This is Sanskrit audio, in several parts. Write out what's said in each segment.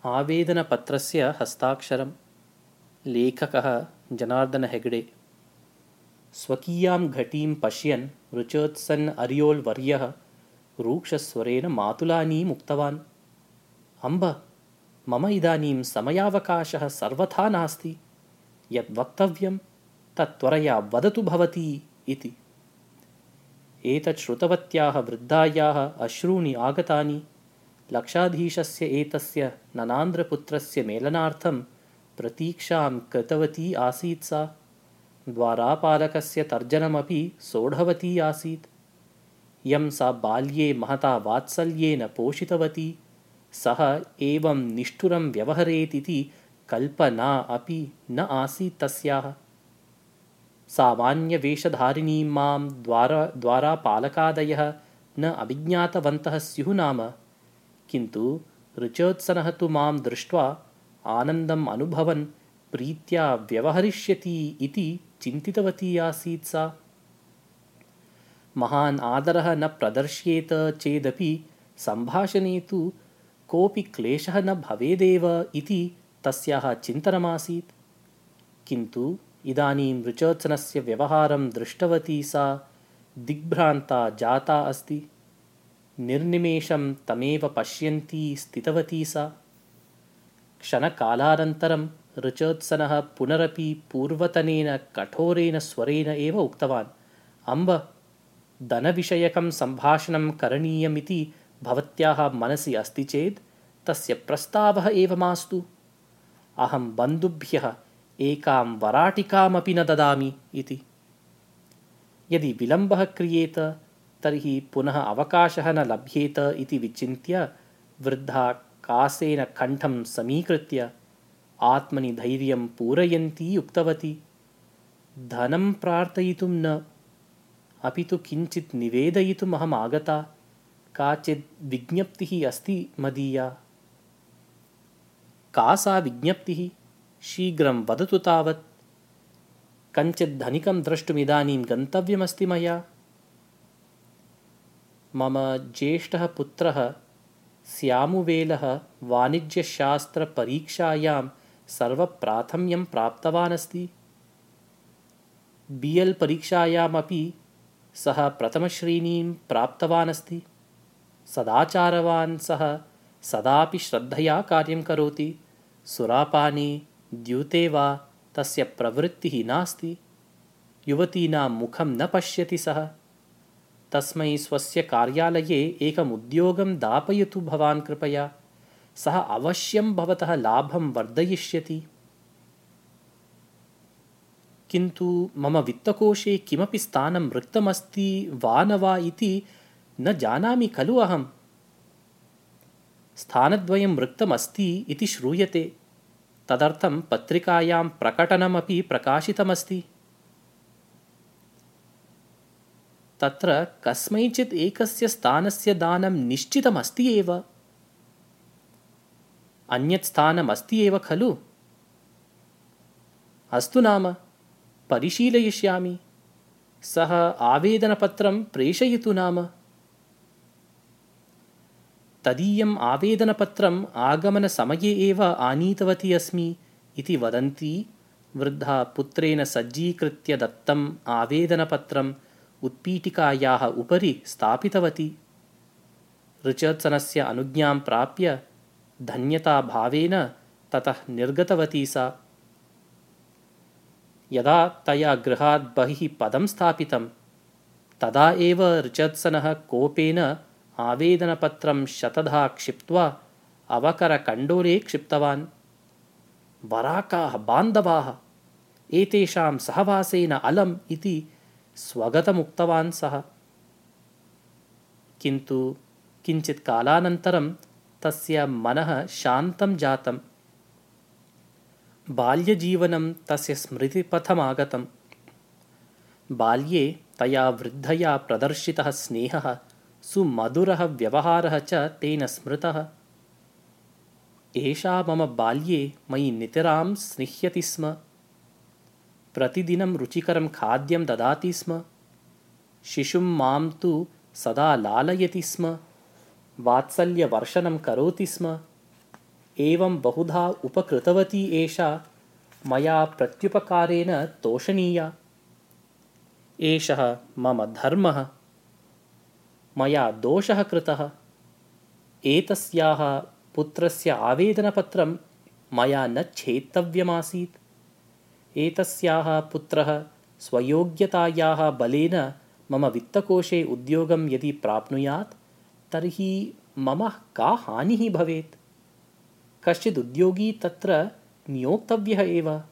आवेदनपत्रस्य हस्ताक्षरम्। लेखकः जनार्दन हेगडे। स्वकीयां घटीं पश्यन् रुचोत्सन् अरियोल् वर्यः रूक्षस्वरेण मातुलानीम् उक्तवान्। अम्ब, मम इदानीं समयावकाशः सर्वथा नास्ति। यत् वक्तव्यं तत् त्वरया वदतु भवती इति। एतत् श्रुतवत्याः वृद्धायाः अश्रूणि आगतानि। लक्षाधीशस्य एतस्य ननान्द्रपुत्रस्य मेलनार्थं प्रतीक्षां कृतवती आसीत् सा। द्वारापालकस्य तर्जनमपि सोढवती आसीत्। यं सा बाल्ये महता वात्सल्येन पोषितवती, सः एवं निष्ठुरं व्यवहरेदिति कल्पना अपि न आसीत् तस्याः। सामान्यवेषधारिणीं मां द्वारापालकादयः न अभिज्ञातवन्तः स्युः नाम, किन्तु रुचोत्सनः तु मां दृष्ट्वा आनन्दम् अनुभवन् प्रीत्या व्यवहरिष्यति इति चिन्तितवती आसीत् सा। महान् आदरः न प्रदर्श्येत चेदपि सम्भाषणे तु कोऽपि क्लेशः न भवेदेव इति तस्याः चिन्तनमासीत्। किन्तु इदानीं रुचोत्सनस्य व्यवहारं दृष्टवती सा दिग्भ्रान्ता जाता अस्ति। निर्निमेषं तमेव पश्यन्ती स्थितवती सा। क्षणकालानन्तरं रुचोत्सनः पुनरपि पूर्वतनेन कठोरेण स्वरेण एव उक्तवान्। अम्ब, धनविषयकं सम्भाषणं करणीयमिति भवत्याः मनसि अस्ति चेत् तस्य प्रस्तावः एव मास्तु। अहं बन्धुभ्यः एकां वराटिकामपि न ददामि इति। यदि विलम्बः क्रियेत तर्हि पुनः अवकाशः न लभ्येत इति विचिन्त्य वृद्धा कासेन कण्ठं समीकृत्य आत्मनि धैर्यं पूरयन्ती उक्तवती। धनं प्रार्थयितुं न, अपि तु किञ्चित् निवेदयितुम् अहम् आगता। काचित् विज्ञप्तिः अस्ति मदीया। का सा विज्ञप्तिः? शीघ्रं वदतु तावत्। कञ्चित् धनिकं द्रष्टुमिदानीं गन्तव्यमस्ति मया। मम ज्येष्ठः पुत्रः स्यामुवेलः वाणिज्यशास्त्रपरीक्षायां सर्वप्राथम्यं प्राप्तवान् अस्ति। BL परीक्षायामपि सः प्रथमश्रेणीं प्राप्तवान् अस्ति। सदाचारवान् सः सदापि श्रद्धया कार्यं करोति। सुरापाने द्यूते वा तस्य प्रवृत्तिः नास्ति। युवतीनां मुखं न पश्यति सः। तस्मै स्वस्य कार्यालये एकम् उद्योगं दापयतु भवान् कृपया। सः अवश्यं भवतः लाभं वर्धयिष्यति। किन्तु मम वित्तकोशे किमपि स्थानं रिक्तमस्ति वा न वा इति न जानामि खलु अहम्। स्थानद्वयं रिक्तमस्ति इति श्रूयते। तदर्थं पत्रिकायां प्रकटनमपि प्रकाशितमस्ति। तत्र कस्मैचित् एकस्य स्थानस्य दानं निश्चितमस्ति एव। अन्यत् स्थानमस्ति एव खलु? अस्तु नाम, परिशीलयिष्यामि। सः आवेदनपत्रं प्रेषयतु नाम। तदीयम् आवेदनपत्रम् आगमनसमये एव आनीतवती अस्मि इति वदन्ती वृद्धा पुत्रेण सज्जीकृत्य दत्तम् आवेदनपत्रम् उत्पीठिकायाः उपरि स्थापितवती। रुचोत्सनस्य अनुज्ञां प्राप्य धन्यताभावेन ततः निर्गतवती सा। यदा तया गृहात् बहिः पदं स्थापितं तदा एव रुचोत्सनः कोपेन आवेदनपत्रं शतधा क्षिप्त्वा अवकरकण्डोले क्षिप्तवान्। वराकाः बान्धवाः, एतेषां सहवासेन अलम् इति स्वगतमुक्तवान् सः। किन्तु किञ्चित् कालानन्तरं तस्य मनः शान्तं जातम्। बाल्यजीवनं तस्य स्मृतिपथमागतम्। बाल्ये तया वृद्धया प्रदर्शितः स्नेहः, सुमधुरः व्यवहारः च तेन स्मृतः। एषा मम बाल्ये मयि नितरां स्निह्यति स्म। प्रतिदिनं रुचिकरं खाद्यं ददाति स्म। शिशुं मां तु सदा लालयति स्म। वात्सल्यवर्षणं करोति स्म। एवं बहुधा उपकृतवती एषा मया प्रत्युपकारेण तोषणीया। एषः मम धर्मः। मया दोषः कृतः। एतस्याः पुत्रस्य आवेदनपत्रं मया न छेत्तव्यमासीत्। एतस्याः पुत्रः स्वयोग्यतायाः बलेन मम वित्तकोशे उद्योगं यदि प्राप्नुयात् तर्हि मम का हानिः भवेत्? कश्चिद् उद्योगी तत्र नियोक्तव्यः एव।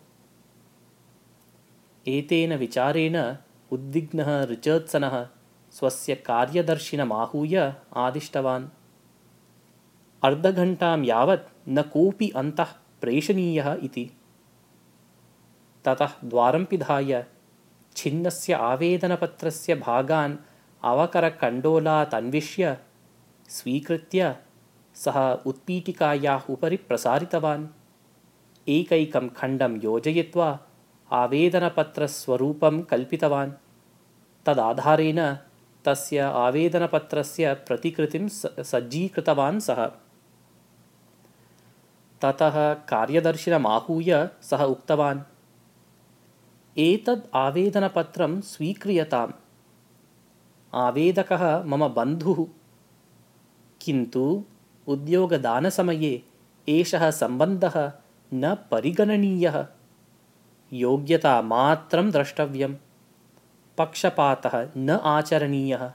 एतेन विचारेण उद्विग्नः रिचर्ड्सनः स्वस्य कार्यदर्शिनमाहूय आदिष्टवान्। अर्धघण्टां यावत् न कोऽपि अन्तः प्रेषणीयः इति। ततः द्वारं पिधाय छिन्नस्य आवेदनपत्रस्य भागान् अवकरकण्डोलात् अन्विष्य स्वीकृत्य सः उत्पीठिकायाः उपरि प्रसारितवान्। एकैकं खण्डं योजयित्वा आवेदनपत्रस्वरूपं कल्पितवान्। तदाधारेण तस्य आवेदनपत्रस्य प्रतिकृतिं सज्जीकृतवान् सः। ततः कार्यदर्शिनमाहूय सः उक्तवान्, एतद् आवेदनपत्रं स्वीक्रियताम्। आवेदकः मम बन्धुः, किन्तु उद्योगदानसमये एषः सम्बन्धः न परिगणनीयः। योग्यता मात्रं द्रष्टव्यम्। पक्षपातः न आचरणीयः।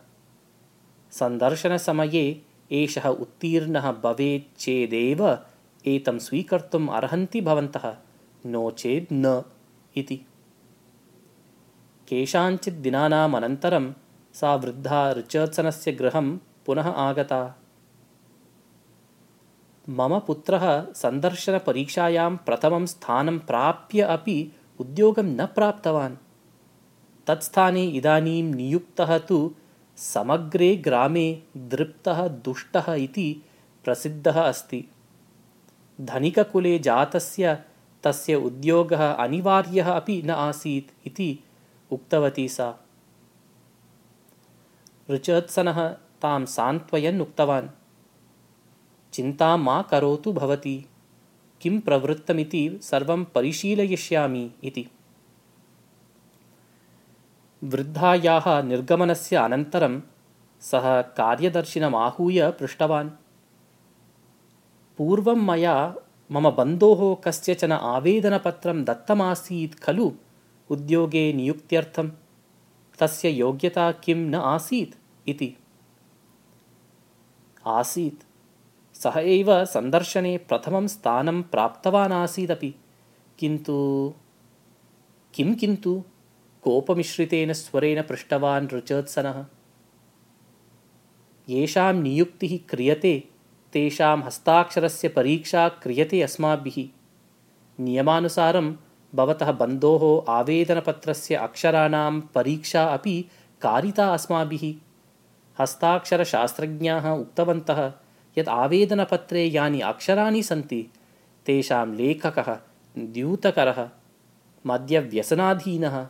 सन्दर्शनसमये एषः उत्तीर्णः भवेत् चेदेव एतं स्वीकर्तुम् अर्हन्ति भवन्तः, नो चेत् न इति। केषाञ्चित् दिनानाम् अनन्तरं सा वृद्धा रिचर्ड्सनस्य गृहं पुनः आगता। मम पुत्रः सन्दर्शनपरीक्षायां प्रथमं स्थानं प्राप्य अपि उद्योगं न प्राप्तवान्। तत्स्थाने इदानीं नियुक्तः तु समग्रे ग्रामे दृप्तः दुष्टः इति प्रसिद्धः अस्ति। धनिककुले जातस्य तस्य उद्योगः अनिवार्यः अपि न आसीत् इति उक्तवती सा। रिचर्ड्सनः तां सान्त्वयन् उक्तवान्, चिन्तां मा करोतु भवती, किं प्रवृत्तमिति सर्वं परिशीलयिष्यामि इति। वृद्धायाः निर्गमनस्य अनन्तरं सः कार्यदर्शिनमाहूय पृष्टवान्, पूर्वं मया मम बन्धोः कस्यचन आवेदनपत्रं दत्तमासीत् खलु उद्योगे नियुक्त्यर्थं? तस्य योग्यता किं न आसीत् इति। आसीत्। सः एव सन्दर्शने प्रथमं स्थानं प्राप्तवान् आसीदपि। किन्तु किन्तु कोपमिश्रितेन स्वरेण पृष्टवान् रिचर्ड्सनः। येषां नियुक्तिः क्रियते तेषां हस्ताक्षरस्य परीक्षा क्रियते अस्माभिः। नियमानुसारं भवतः बन्धोः आवेदनपत्रस्य अक्षराणां परीक्षा अपि कारिता अस्माभिः। हस्ताक्षरशास्त्रज्ञाः उक्तवन्तः यत् आवेदनपत्रे यानि अक्षराणि सन्ति तेषां लेखकः द्यूतकरः, मद्यव्यसनाधीनः,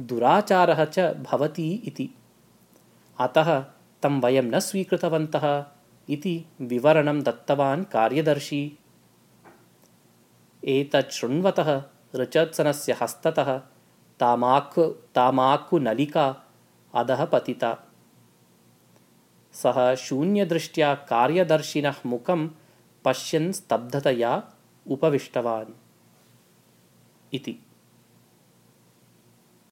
दुराचारः च भवति इति। अतः तं वयं न स्वीकृतवन्तः इति विवरणं दत्तवान् कार्यदर्शी। एतत् शृण्वतः रिचर्ड्सनस्य हस्ततः तामाक्कुनलिका अधः पतिता। सः शून्यदृष्ट्या कार्यदर्शिनः मुखं पश्यन् स्तब्धतया उपविष्टवान् इति।